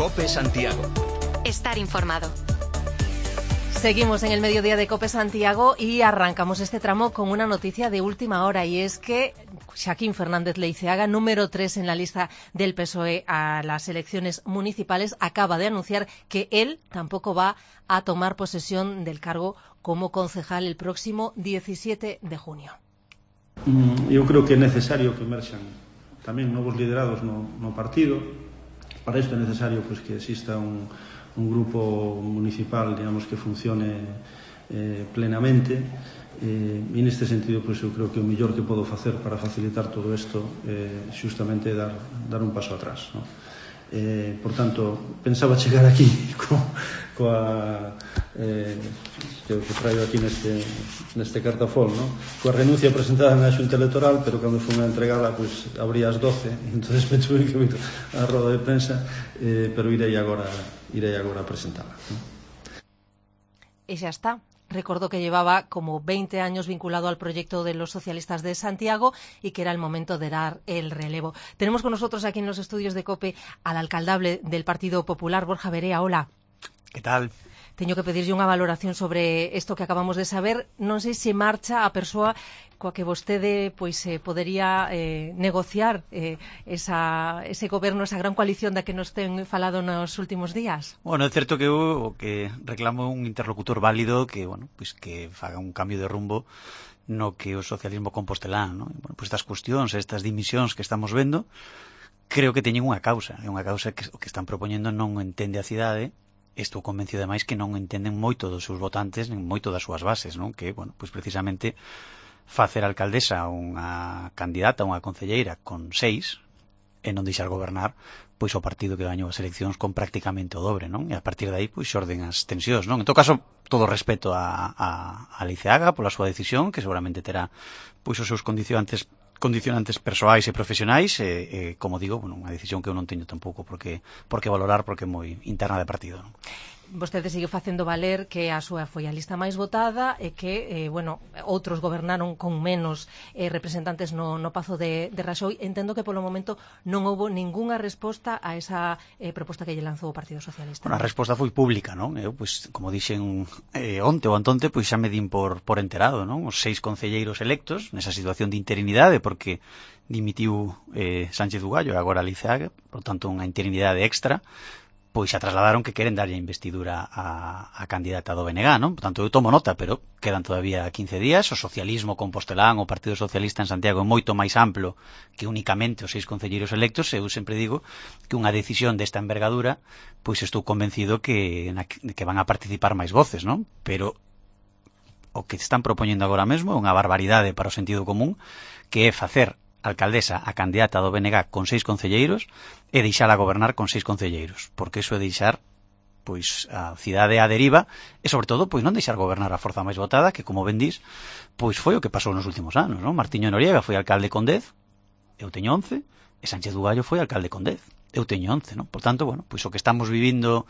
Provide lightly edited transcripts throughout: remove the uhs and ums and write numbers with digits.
COPE Santiago. Estar informado. Seguimos en el mediodía de COPE Santiago y arrancamos este tramo con una noticia de última hora, y es que Xaquín Fernández Leiceaga, número 3 en la lista del PSOE a las elecciones municipales, acaba de anunciar que él tampoco va a tomar posesión del cargo como concejal el próximo 17 de junio. Eu creo que é necesario que emerxan tamén novos liderados no partido. Para isto é necesario que exista un grupo municipal, digamos, que funcione plenamente, e neste sentido eu creo que o mellor que podo facer para facilitar todo isto é xustamente dar un paso atrás, ¿no? Por tanto, pensaba chegar aquí coa que traio aquí neste cartafol, ¿no? Coa renuncia presentada na Xunta Electoral, pero cando fui a entregala abría as 12, entonces me tuve que vir a roda de prensa, pero irei agora a presentala, ¿no? E xa está. Recordó que llevaba como 20 años vinculado al proyecto de los socialistas de Santiago y que era el momento de dar el relevo. Tenemos con nosotros aquí en los estudios de COPE al alcaldable del Partido Popular, Borja Verea. Hola. ¿Qué tal? Teño que pedirlle unha valoración sobre isto que acabamos de saber. Non sei se marcha a persoa coa que vostede podería negociar ese goberno, esa gran coalición da que nos ten falado nos últimos días. Bueno, é certo que o que reclamo un interlocutor válido que, bueno, que faga un cambio de rumbo no que o socialismo compostelán, ¿no? Bueno, estas cuestións, estas dimisións que estamos vendo, creo que teñen unha causa. É unha causa que o que están propoñendo non entende a cidade. Estou convencido ademais que non entenden moito dos seus votantes nin moito das súas bases, non? Que, bueno, precisamente facer alcaldesa unha candidata, unha concelleira con 6 e non deixar gobernar o partido que gañou as eleccións con prácticamente o dobre, non? E a partir de aí xorden as tensións, non? En todo caso, todo respeto a Leiceaga pola súa decisión, que seguramente terá os seus condicionantes persoais e profesionais, como digo, unha decisión que eu non teño tampouco por que valorar, porque é moi interna de partido, non? Vostede sigue facendo valer que a súa foi a lista máis votada e que, outros gobernaron con menos representantes no Pazo de Raxoi. Entendo que polo momento non houbo ningunha resposta a esa proposta que lle lanzou o Partido Socialista. Bueno, a resposta foi pública, non? Eu, como dixen onte ou antonte, xa me din por enterado, non? Os 6 concelleiros electos nesa situación de interinidade, porque dimitiu Sánchez Ugallo e agora Leiceaga, por tanto unha interinidade extra, xa trasladaron que queren darlle a investidura a candidata do BNG, non? Por tanto, eu tomo nota, pero quedan todavía 15 días. O socialismo compostelán, o Partido Socialista en Santiago é moito máis amplo que únicamente os 6 concelleiros electos. Eu sempre digo que unha decisión desta envergadura, estou convencido que van a participar máis voces, non? Pero o que están propoñendo agora mesmo é unha barbaridade para o sentido común, que é facer alcaldesa a candidata do BNG con 6 concelleiros e deixala gobernar con 6 concelleiros, porque iso é deixar a cidade a deriva e, sobre todo, non deixar gobernar a forza máis votada, que, como ben dis, foi o que pasou nos últimos anos, non? Martiño Noriega foi alcalde con 10, eu teño 11, e Sánchez Ugallo foi alcalde con 10, eu teño 11, non? Por tanto, o que estamos vivindo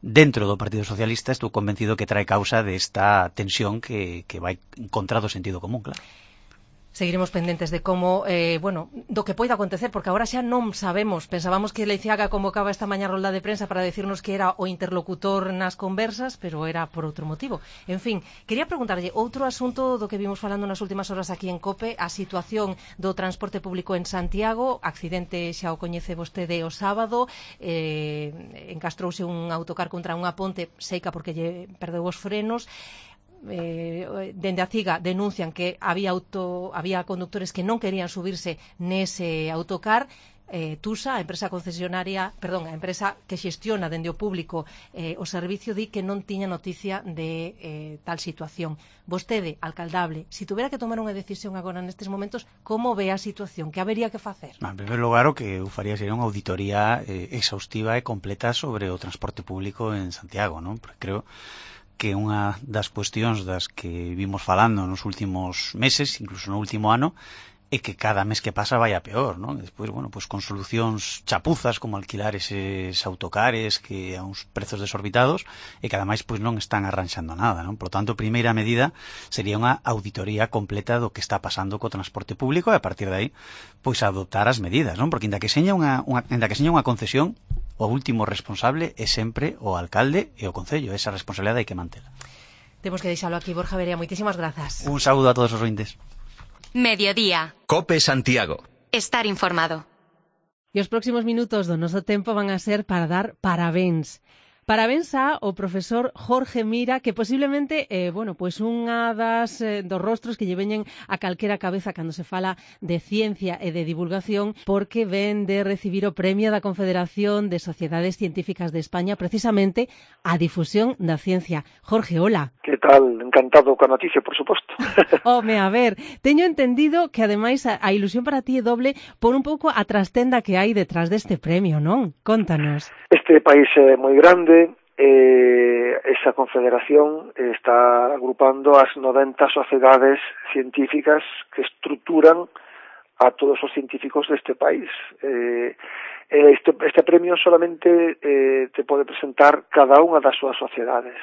dentro do Partido Socialista, estou convencido que trae causa desta tensión que vai en contra do sentido común, claro. Seguiremos pendentes de como, do que poida acontecer, porque agora xa non sabemos. Pensábamos que Leiceaga convocaba esta mañá rolda de prensa para decirnos que era o interlocutor nas conversas, pero era por outro motivo. En fin, quería preguntarlle outro asunto do que vimos falando nas últimas horas aquí en COPE, a situación do transporte público en Santiago. Accidente xa o coñece vostede o sábado, encastrouse un autocar contra unha ponte seica porque lle perdeu os frenos. Dende a CIGA denuncian que había conductores que non querían subirse nese autocar. TUSA, a empresa que xestiona dende o público o servicio, di que non tiña noticia de tal situación. Vostede, alcaldable, se tuvera que tomar unha decisión agora nestes momentos, como ve a situación? Que habería que facer? En primeiro lugar, o que eu faría sería unha auditoría exhaustiva e completa sobre o transporte público en Santiago, non? Porque creo que unha das cuestións das que vimos falando nos últimos meses, incluso no último ano, é que cada mes que pasa vai a peor, non? E despois, con solucións chapuzas como alquilar eses autocares que a uns prezos desorbitados e que ademais non están arranxando nada, non? Por tanto, a primeira medida sería unha auditoría completa do que está pasando co transporte público e a partir de aí, adoptar as medidas, non? Porque ainda que seña unha concesión, o último responsable é sempre o alcalde e o concello. Esa responsabilidade hai que mantela. Temos que deixalo aquí, Borja Verea. Moitísimas grazas. Un saúdo a todos os ointes. Mediodía. COPE Santiago. Estar informado. E os próximos minutos do noso tempo van a ser para dar parabéns. Parabéns ao profesor Jorge Mira, que posiblemente, pois unha dos rostros que lle veñen a calquera cabeza cando se fala de ciencia e de divulgación, porque ven de recibir o premio da Confederación de Sociedades Científicas de España, precisamente a difusión da ciencia. Jorge, hola. Que tal? Encantado coa noticia, por suposto. Home, a ver, teño entendido que ademais a ilusión para ti é doble por un pouco a trastenda que hai detrás deste premio, non? Contanos. Este país é moi grande. Esa confederación está agrupando as 90 sociedades científicas que estruturan a todos os científicos deste país. Este premio solamente te pode presentar cada unha das súas sociedades.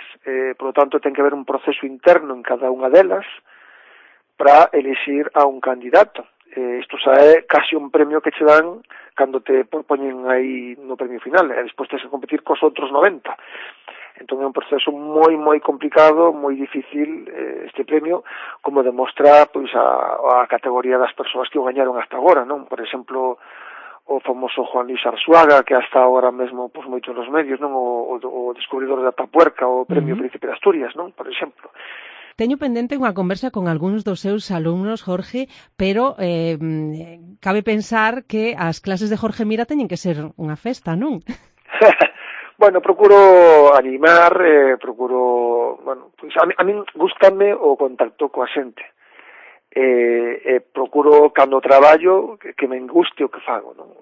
Por lo tanto, ten que haber un proceso interno en cada unha delas para elixir a un candidato. Isto xa é casi un premio que che dan cando te poñen aí no premio final, e despois tens que competir cos outros 90. Entón é un proceso moi complicado, moi difícil este premio, como demostra pois a categoría das persoas que o gañaron hasta agora, non? Por exemplo, o famoso Juan Luis Arzuaga, que hasta agora mesmo pois moito nos medios, non? O descubridor da Tapuerca, o premio Príncipe de Asturias, non? Por exemplo. Teño pendente unha conversa con algúns dos seus alumnos, Jorge, pero cabe pensar que as clases de Jorge Mira teñen que ser unha festa, non? Bueno, procuro animar, pois a min gústame o contacto coa xente. Procuro, cando traballo, que me guste o que fago, non?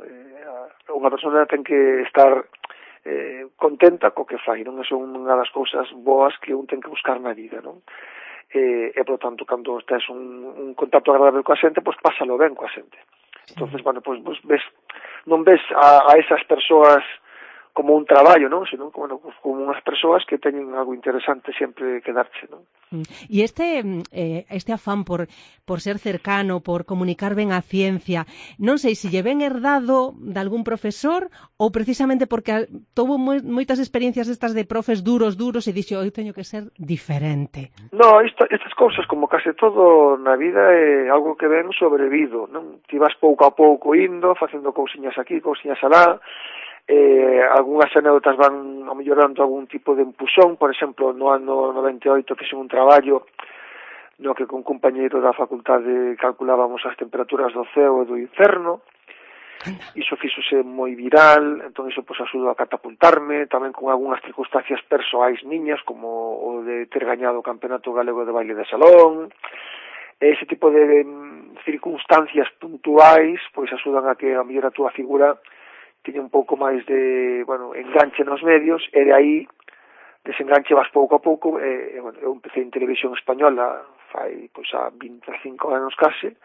Unha persona ten que estar contenta co que fai, non? Eso é unha das cousas boas que un ten que buscar na vida, non? E, por tanto, cando estés un contacto agradable coa xente, pois pásalo ben coa xente. Entonces, pois non ves a esas persoas como un traballo, non? Senón como unhas persoas que teñen algo interesante sempre que darche, non? E este afán por ser cercano, por comunicar ben a ciencia, non sei se lle ven herdado de algún profesor ou precisamente porque tuvo moitas experiencias estas de profes duros e dixo, eu teño que ser diferente. No, estas cousas, como case todo na vida, é algo que ven sobrevido, non? Ti vas pouco a pouco indo, facendo cousiñas aquí, cousiñas alá. Algúnas anécdotas van mellorando algún tipo de empuxón. Por exemplo, no ano 98 fixen un traballo no que con un compañeiro da facultade calculábamos as temperaturas do ceo e do inferno. Iso fixose moi viral, entón iso pois axudou a catapultarme, tamén con algunhas circunstancias persoais miñas, como o de ter gañado o Campeonato Galego de Baile de Salón. Ese tipo de circunstancias puntuais pois axudan a que a mellor a túa figura tiña un pouco máis de, enganche nos medios, e de aí desenganche vas pouco a pouco. Eu empecé en televisión española fai a 25 anos case,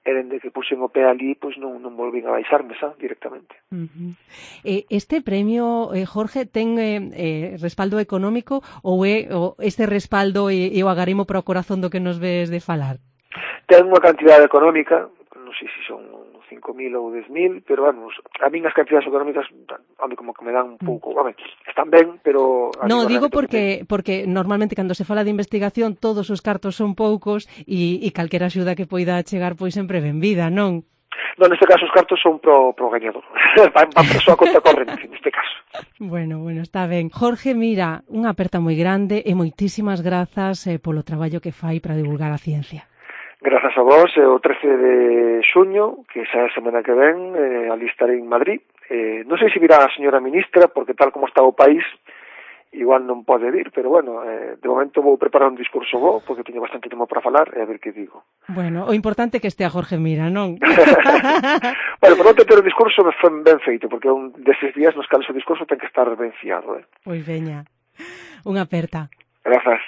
e dende que puxen o pé ali, pois non volvín a baixarme, directamente. Este premio, Jorge, ten respaldo económico ou é este respaldo e o agarimo para o corazón do que nos ves de falar? Ten unha cantidade económica, non sei se son 5.000 ou 10.000, pero a min as cantidades económicas como que me dan un pouco, están ben, pero... No, digo porque normalmente cando se fala de investigación todos os cartos son poucos e calquera axuda que poida chegar pois sempre ben vida, non? Non, neste caso os cartos son pro gañador, van para a súa conta corrente, neste caso. Bueno, está ben. Jorge, mira, unha aperta moi grande e moitísimas grazas polo traballo que fai para divulgar a ciencia. Grazas a vos, o 13 de xuño, que xa é a semana que ven, ali estarei en Madrid. Non sei se virá a señora ministra, porque tal como está o país, igual non pode vir, pero de momento vou preparar un discurso bo, porque teño bastante tempo para falar, e a ver que digo. Bueno, o importante é que estea Jorge Mira, non? Por non ter o discurso ben feito, porque un deses días nos cales o discurso ten que estar ben fiado. Pois veña, unha aperta. Grazas.